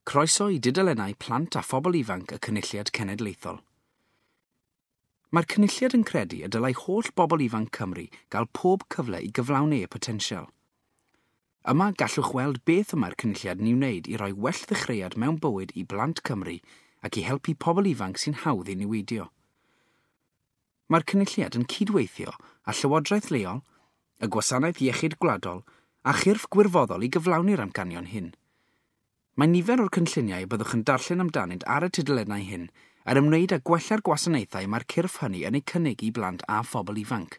Croeso i dudalennau plant a phobl ifanc y Cynulliad Cenedlaethol. Mae'r Cynulliad yn credu y dylai holl bobl ifanc Cymru gael pob cyfle i gyflawni eu potensial. Yma gallwch weld beth y mae'r Cynulliad yn ei wneud i roi well ddechreuad mewn bywyd i blant Cymru ac i helpu pobl ifanc sy'n hawdd i niweidio. Mae'r Cynulliad yn cydweithio â Llywodraeth leol, y Gwasanaeth Iechyd Gwladol a chyrff gwirfoddol i gyflawni'r amcanion hyn. Mae nifer o'r cynlluniau y byddwch yn darllen amdanynt ar y tudalennau hyn er ymwneud â gwella'r gwasanaethau mae'r cyrff hynny yn eu cynnig i blant a phobl ifanc.